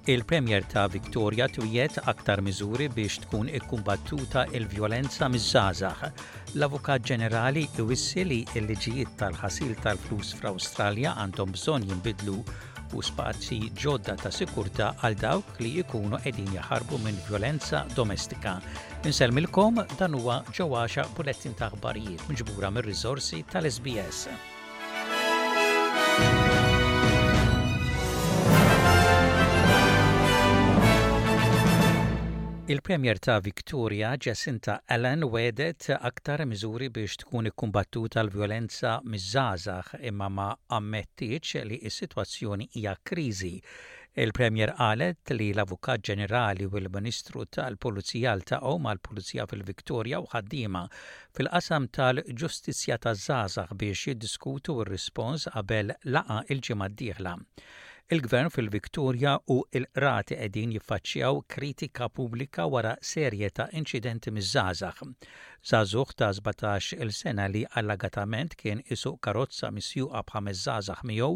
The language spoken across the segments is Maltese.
Il-Premier ta' Victoria twiegħed aktar miżuri biex tkun ikkumbattuta l-vjolenza miż-żgħażagħ. L-Avukat Ġenerali iwissi li l-liġijiet tal-ħasil tal-flus fl-Awstralja għandhom bżonn jinbidlu u spazji ġodda ta' sikurtà għal dawk li jkunu qegħdin jaħarbu minn vjolenza domestika. Insellmilkom dan huwa ġewwaxa bulettin ta' aħbarijiet miġbura mir-riżorsi tal-SBS. Il-Premier ta' Victoria, Jacinta Allan, wegħdet aktar miżuri biex tkun ikkumbattuta l-vjolenza miż-żgħażagħ imma ma ammettietx li s-sitwazzjoni hija kriżi. Il-Premier qalet li l-Avukat Ġenerali u l-Ministru tal-Pulizija ltaqgħu mal-Pulizija fil-Victoria u ħaddiema fil-qasam tal-ġustizzja taż-żgħażagħ biex jiddiskutu r-rispons qabel laqgħa l-ġimgħa d-dieħla. Il-Gvern fil-Victoria u l-qrati qegħdin jiffaċċjaw kritika pubblika wara serje ta' inċidenti miż-żgħażagħ. Żagħżugħ ta' 17 il sena li allegatament kien isuq karozza misjuqa b'ħames żgħażagħ miegħu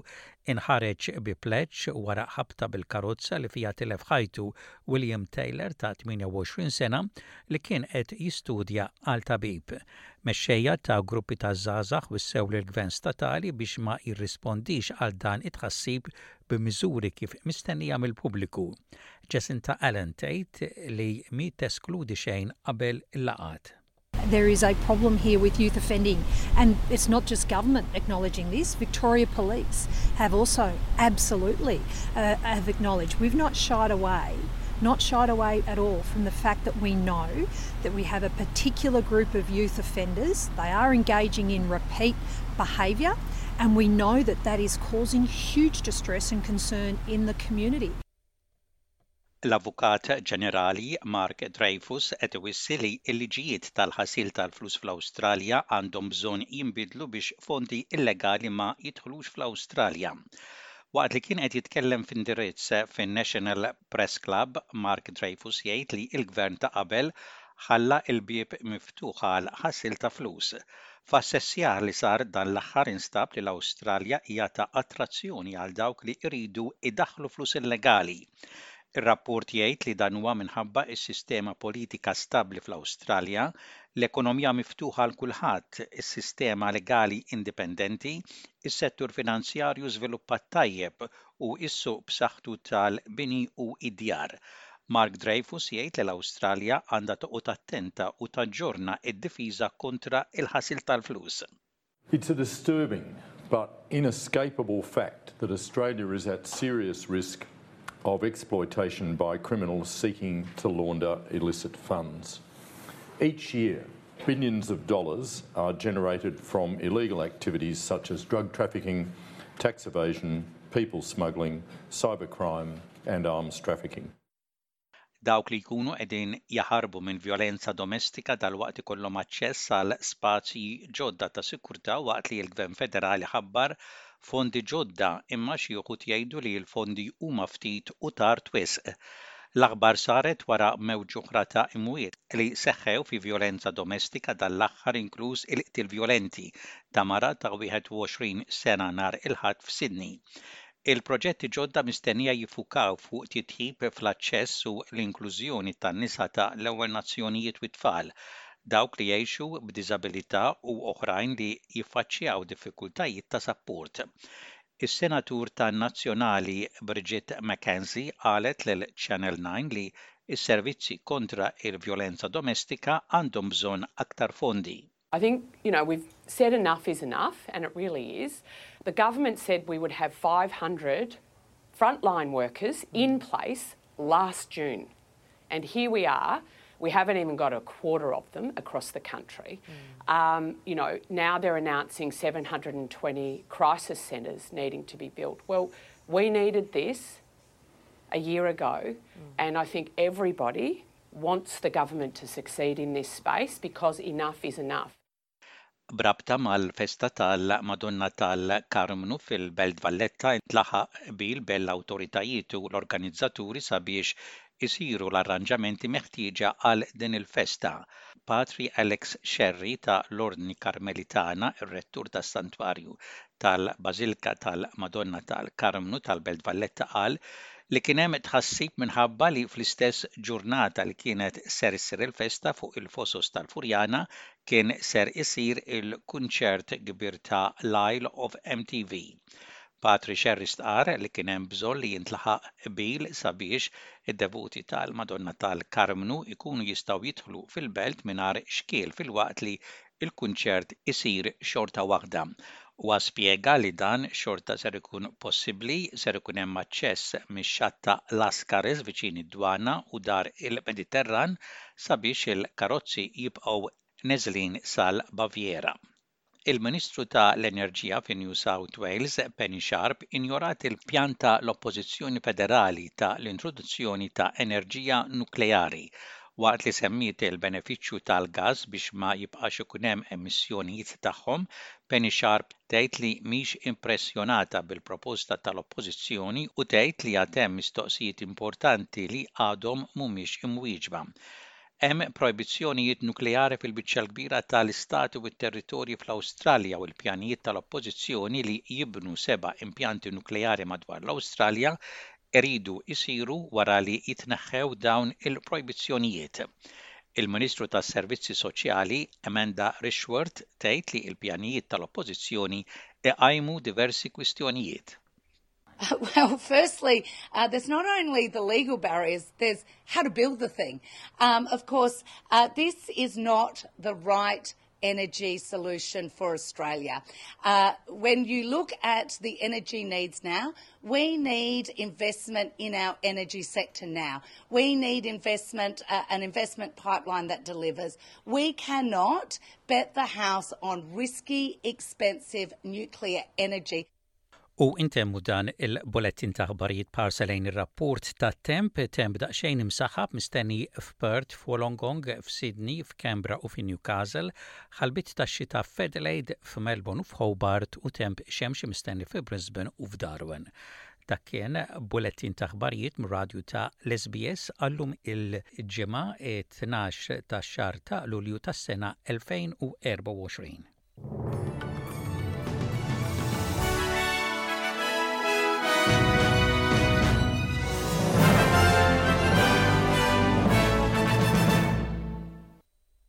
inħareġ bi pleġġ wara ħabta bil-karozza li fiha tilef ħajtu William Taylor ta' 28 sena li kien qed jistudja għal tabib. Mexxejja ta' gruppi ta' żgħażagħ wissew lill-Gvern statali biex ma jirrispondix għal dan it-tħassib b'miżuri kif mistennija mill-pubbliku. Jacinta Allan tgħid li mhi teskludi xejn qabel il-laqgħat. There is a problem here with youth offending and it's not just government acknowledging this, Victoria Police have also absolutely uh, have acknowledged we've not shied away not shied away at all from the fact that we know that we have a particular group of youth offenders. They are engaging in repeat behaviour, and we know that that is causing huge distress and concern in the community. L-Avukat Ġenerali Mark Dreyfus qed iwissi li l-liġijiet tal-ħasil tal-flus fl-Awstralja għandhom bżonn jinbidlu biex fondi illegali ma jidħlux fl-Awstralja. Waqt li kien qed jitkellem f'indirizz fin-National Press Club, Mark Dreyfus jgħid li l-Gvern ta' qabel ħalla l-bieb miftuħ għal ħasil ta' flus. F'assessjar li sar dan l-aħħar instab li l-Awstralja hija ta' attrazzjoni għal dawk li jridu jdaħħlu flus illegali. Ir-rapport jgħid li dan huwa minħabba s-sistema politika stabbli fl-Awstralja, l-ekonomija miftuħa għal kulħadd, is-sistema legali indipendenti, is-settur finanzjarju żviluppat tajjeb u s-suq b'saħħtu tal-bini u d-djar. Mark Dreyfus jgħid li l-Awstralja għandha toqgħod attenta u taġġorna d-difiża kontra l-ħasil tal-flus. It's a disturbing but inescapable fact that Australia is at serious risk of exploitation by criminals seeking to launder illicit funds. Each year, billions of dollars are generated from illegal activities such as drug trafficking, tax evasion, people smuggling, cybercrime and arms trafficking. Dawk li jkunu qegħdin jaħarbu minn vjolenza domestika dalwaqt ikollhom aċċess għal spazji ġodda ta' sikurtà waqt li l-Gvern Federali ħabbar fondi ġodda imma xi wħud jgħidu li l-fondi huma ftit u tard wisq. L-aħbar saret wara mewġ oħra ta' imwiet li seħħew fi vjolenza domestika dan l-aħħar inkluż il-qtil vjolenti ta' mara ta' 21 sena nhar il-Ħadd f'Sydney. Il-proġetti ġodda mistennija jiffukaw fuq titjib fl-aċċess u l-inklużjoni tan-nisa ta' l-Ewwel Nazzjonijiet u t-tfal, dawk li jgħixu b'diżabilità u oħrajn li jiffaċċjaw diffikultajiet ta' sapport. Is-Senatur tan-Nazzjonali Bridget McKenzie qalet lil Channel 9 li s-servizzi kontra l-vjolenza domestika għandhom bżonn aktar fondi. I think, you know, we've said enough is enough, and it really is. The government said we would have 500 frontline workers in place last June. And here we are. We haven't even got a quarter of them across the country. Mm. Um, you know, now they're announcing 720 crisis centres needing to be built. Well, we needed this a year ago, mm. and I think everybody wants the government to succeed in this space because enough is enough. B'rabta mal-festa tal-Madonna tal-Karmnu fil-Belt Valletta intlaħaq qbil bejn l-awtoritajiet u l-organizzaturi sabiex isiru l-arranġamenti meħtieġa għal din il-festa. Patri Alex Scerri ta' l-Ordni Karmelitana, ir-Rettur tas-Santwarju tal-Bażilka tal-Madonna tal-Karmnu tal-Belt Valletta qal li kien hemm tħassib minħabba li fl-istess ġurnata li kienet ser issir il-festa fuq il-Fosos tal-Furjana kien ser isir il-kunċert kbir ta' l-Isle of MTV. Patri Scerri stqarr li kien hemm bżonn li jintlaħaq qbil sabiex id-devoti tal-Madonna tal-Karmnu jkunu jistgħu jidħlu fil-belt mingħajr xkiel filwaqt li l-kunċert isir xorta waħda. Huwa spjega li dan xorta ser ikun possibbli, ser ikun hemm aċċess mix-xatt ta' Lascaris viċin id-Dwana u Dar il-Mediterran sabiex il-karozzi jibqgħu neżlin sal-Baviera. Il-Ministru ta' l-Enerġija fi New South Wales, Penny Sharp, injorat il-pjan ta' l-Oppożizzjoni Federali ta' l-introduzzjoni ta' enerġija nukleari. Waqt li semmiet il-benefiċċju tal-gass biex ma jibqax ikun hemm emissjonijiet tagħhom, Penny Sharp tgħid li mhix impressjonata bil-proposta tal-Oppożizzjoni u tgħid li għad hemm mistoqsijiet importanti li għadhom mhumiex imwieġba. Hemm projbizzjonijiet nukleari fil-biċċa l-kbira ta' l-istati u t-territorji fl-Awstralja u l-pjanijiet tal-oppożizzjoni li jibnu seba' impjanti nukleari madwar l-Awstralja jridu jsiru wara li jitneħħew dawn il-projbizzjonijiet. Il-Ministru tas-Servizzi Soċjali, Amanda Rishworth, tgħid li l-pjanijiet tal-oppożizzjoni iqajmu diversi kwistjonijiet. Well, firstly, uh, there's not only the legal barriers, there's how to build the thing. Um, of course, uh, this is not the right energy solution for Australia. Uh, when you look at the energy needs now, we need investment in our energy sector now. We need investment, uh, an investment pipeline that delivers. We cannot bet the house on risky, expensive nuclear energy. U intemmu dan il-bulettin ta' aħbarijiet b'ħarsa lejn ir-rapport tat-temp, temp daqsxejn imsaħħab mistenni f'Perth, f'Wollongong, f'Sydney, f'Canberra u fi Newcastle, ħalbiet tax-xita f'Adelaide, f'Melbourne u f'Hobart u temp xemxi mistenni fi Brisbane u f'Darwin. Dak kien bulettin ta' aħbarijiet mir-radju ta' l-SBS għal-lum il-Ġimgħa 12 tax-xahar ta' Lulju tas-sena 2024.